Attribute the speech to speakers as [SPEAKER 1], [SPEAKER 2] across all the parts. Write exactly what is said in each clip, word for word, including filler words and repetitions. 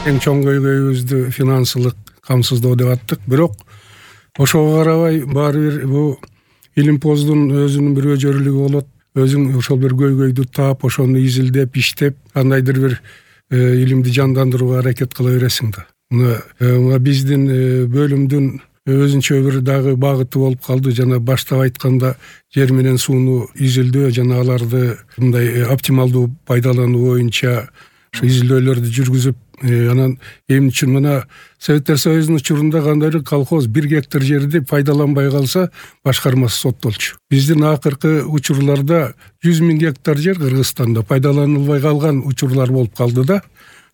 [SPEAKER 1] эң чоң көйгөйүбүздү финансылык камсыздоо деп аттык. Бирок ошого карабай баары бир бул илимпоздун өзүнүн бир өжөрүлүгү болот. Өзүң ошол бир көйгөйдү таап, ошону изилдеп, иштеп, кандайдыр бир илимди жандандырууга аракет кыла бересиң да. Мына биздин бөлүмдүн өзүнчө бир дагы багыты болуп калды. Жана баштап айтканда жер менен сууну изилдөө жана аларды мындай оптималдуу пайдалануу боюнча ошо изилдөөлөрдү жүргүзүп, анан эмне үчүн мына Советтер Союзунун учурунда кандайдыр колхоз бир гектар жерди пайдаланбай калса башкармасы соттолчу. Биздин акыркы учурларда жүз миң гектар жер Кыргызстанда пайдаланылбай калган учурлар болуп калды да.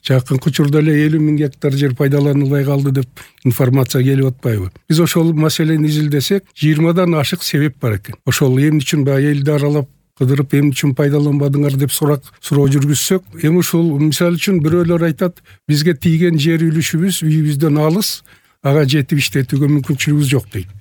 [SPEAKER 1] Жакынкы учурда эле элүү миң гектар жер пайдаланылбай калды деп информация келип атпайбы? Биз ошол маселени изилдесек, жыйырмадан ашык себеп бар экен. Ошол эмне үчүн баягы элди аралап кыдырып эмне үчүн пайдаланбадыңар деп сурак суроо жүргүзсөк, эми ушул мисалы үчүн бирөөлөр айтат, бизге тийген жер үлүшүбүз үйүбүздөн алыс, ага жетип иштетүүгө мүмкүнчүлүгүбүз жок дейт.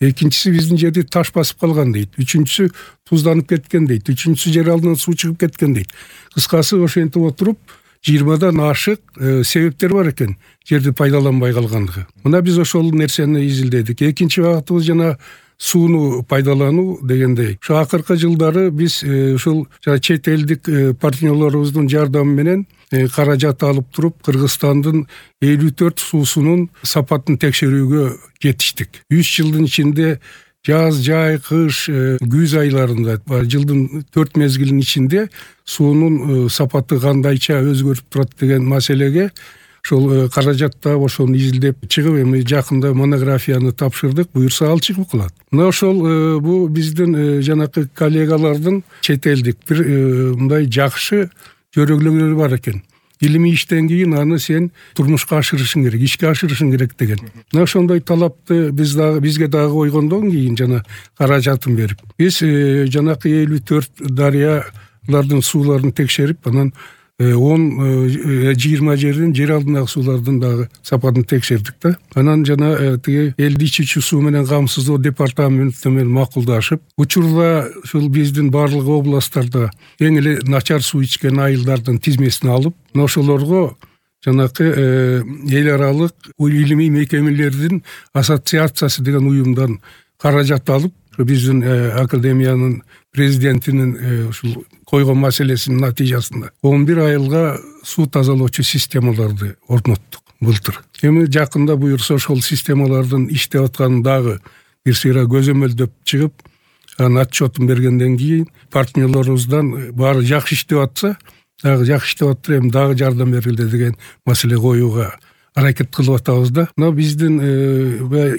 [SPEAKER 1] Экинчиси биздин жерди таш басып калган дейт. Үчүнчүсү тузданып кеткен дейт. Үчүнчүсү жер алдынан суу чыгып кеткен дейт. Кыскасы ошентип отуруп жыйырмадан ашык себептер бар экен жерди пайдаланбай калгандыгы. Мына биз ошол нерсени изилдедик. Экинчи багытыбыз жана сууну пайдалануу дегендей. Ошо акыркы жылдары биз ушул чет элдик партнерлорубуздун жардамы менен каражат алып туруп Кыргызстандын элүү төрт суусунун сапатын текшерүүгө жетиштик. үч жылдын ичинде жаз, жай, кыш, күз айларында жылдын төрт мезгилинин ичинде суунун сапаты кандайча өзгөрүп турат деген маселеге ошол каражатта ошону изилдеп чыгып, эми жакында монографияны тапшырдык, буюрса ал чыгып калат. Мына ошол бул биздин жанакы коллегалардын чет элдик бир мындай жакшы жөрөглөрү бар экен. Илимий иштен кийин аны сен турмушка ашырышың керек, ишке ашырышың керек деген. Мына ошондой талапты биз дагы бизге дагы койгондон кийин жана каражатын берип, биз жанакы элүү төрт дарыялардын сууларын текшерип, анан он жыйырма жердин жер алдындагы суулардын дагы сапатын текшердик да. Анан жана тиги элди ичүүчү суу менен камсыздоо департаменти менен макулдашып, учурда ушул биздин барлык областтарда эң эле начар суу ичкен айылдардын тизмесин алып, ошолорго жанакы эл аралык илимий мекемелердин ассоциациясы деген уюмдан каражат алып, биздин академиянын президентинин ушул койгон маселесинин натыйжасында он бир айылга суу тазалоочу системаларды орноттук былтыр. Эми жакында буюрса ошол системалардын иштеп атканын дагы бир сыйра көзөмөлдөп чыгып, анын отчетун бергенден кийин партнерлорубуздан баары жакшы иштеп атса, дагы жакшы иштеп аттыр, эми дагы жардам бергиле деген маселе коюуга аракет кылып атабыз да. Мына биздин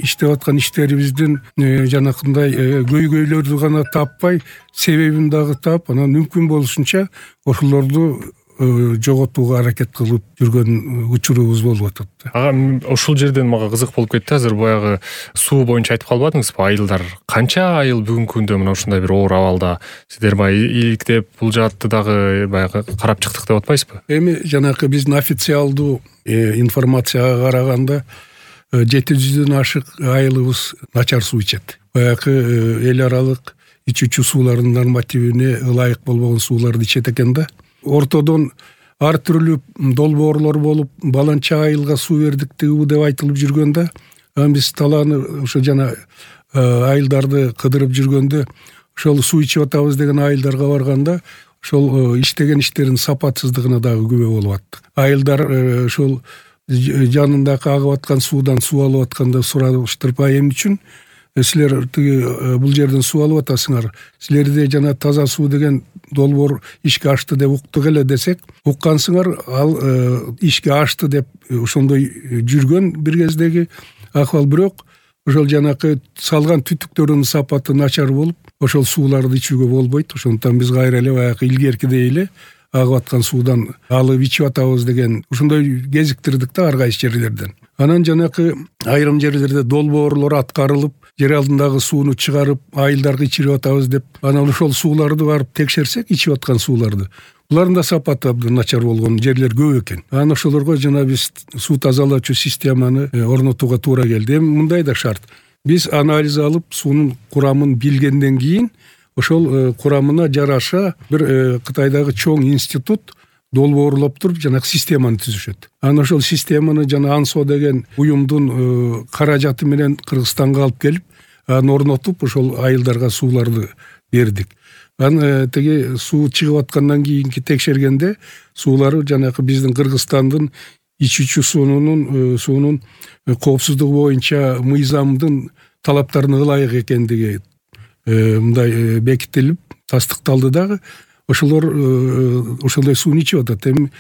[SPEAKER 1] иштеп аткан иштерибиздин жанакындай көйгөйлөрдү гана таппай, себебин дагы таап, анан мүмкүн болушунча ошолорду жоготууга аракет кылып жүргөн учурубуз болуп атат.
[SPEAKER 2] Ага, ушул жерден мага кызык болуп кетти. Азыр баягы суу боюнча айтып калбадыңызбы? Айылдар канча айыл бүгүнкү күндө мына ушундай бир оор абалда? Сиздер баягы иликтеп бул жаатты дагы баягы карап чыктык деп атпайсызбы?
[SPEAKER 1] Эми жанакы биздин официалдуу информацияга караганда жети жүздөн ашык айылыбыз начар суу ичет. Баягы эл аралык ичүүчү суулардын нормативине ылайык болбогон сууларды ичет экен да. Ортодон ар түрлүү долбоорлор болуп, баланча айылга суу бердик деп айтылып жүргөндө, биз талааны ошо жана айылдарды кыдырып жүргөндө, ошол суу ичип атабыз деген айылдарга барганда, ошол иштеген иштердин сапатсыздыгына дагы күбө болуп аттык. Айылдар ошол жанында агып аткан суудан суу алып атканда сураштырып, эмне үчүн силер бул жерден суу алып атасыңар, силерде жана таза суу деген долбоор ишке ашты деп уктук эле десек, уккансыңар, ал ишке ашты деп ошондой жүргөн бир кездеги акыбал. Бирок ошол жанакы салган түтүктөрдүн сапаты начар болуп, ошол сууларды ичүүгө болбойт. Ошондуктан биз кайра эле баягы илгеркидей эле агып аткан суудан алып ичип атабыз деген ошондой кезиктирдик да ар кайсы жерлерден. Анан жанакы айрым жерлерде долбоорлор аткарылып, жер алдындагы сууну чыгарып, айылдарга ичирип атабыз деп, анан ошол сууларды барып текшерсек, ичип аткан сууларды, булардын да сапаты абдан начар болгон жерлер көп экен. Анан ошолорго жана биз суу тазалоочу системаны орнотууга туура келди. Эми мындай да шарт. Биз анализ алып, суунун курамын билгенден кийин, ошол курамына жараша бир Кытайдагы чоң институт долбоорлоп туруп жанагы системаны түзүшөт. Анан ошол системаны жана ансо деген уюмдун каражаты менен Кыргызстанга алып келип, аны орнотуп ошол айылдарга сууларды бердик. Анан тиги суу чыгып аткандан кийинки текшергенде суулары жанагы биздин Кыргызстандын ичүүчү суунун суунун коопсуздугу боюнча мыйзамдын талаптарына ылайык экендиги мындай бекитилип тастыкталды дагы. Ошолор ошондой сууну ичип атат. Эми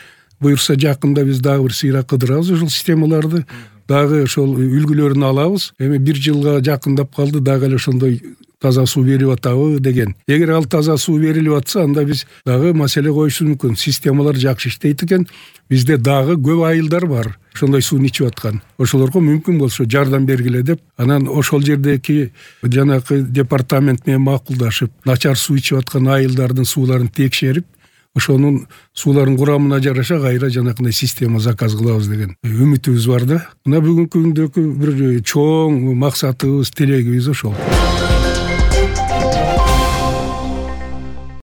[SPEAKER 1] буюрса жакында биз дагы бир сыйра кыдырабыз ошол системаларды, дагы ошол үлгүлөрүн алабыз. Эми бир жылга жакындап калды, дагы эле ошондой таза суу берип атабы деген. Эгер ал таза суу берилип атса, анда биз дагы маселе коюшубуз мүмкүн. Системалар жакшы иштейт экен. Бизде дагы көп айылдар бар ошондой сууну ичип аткан. Ошолорго мүмкүн болсо жардам бергиле деп, анан ошол жердеги жанагы департамент менен макулдашып, начар суу ичип аткан айылдардын сууларын текшерип, ошонун суулардын курамына жараша кайра жанакындай система заказ кылабыз деген үмүтүбүз бар да. Мына бүгүнкү күндөгү бир чоң максатыбыз, тилегибиз ошол.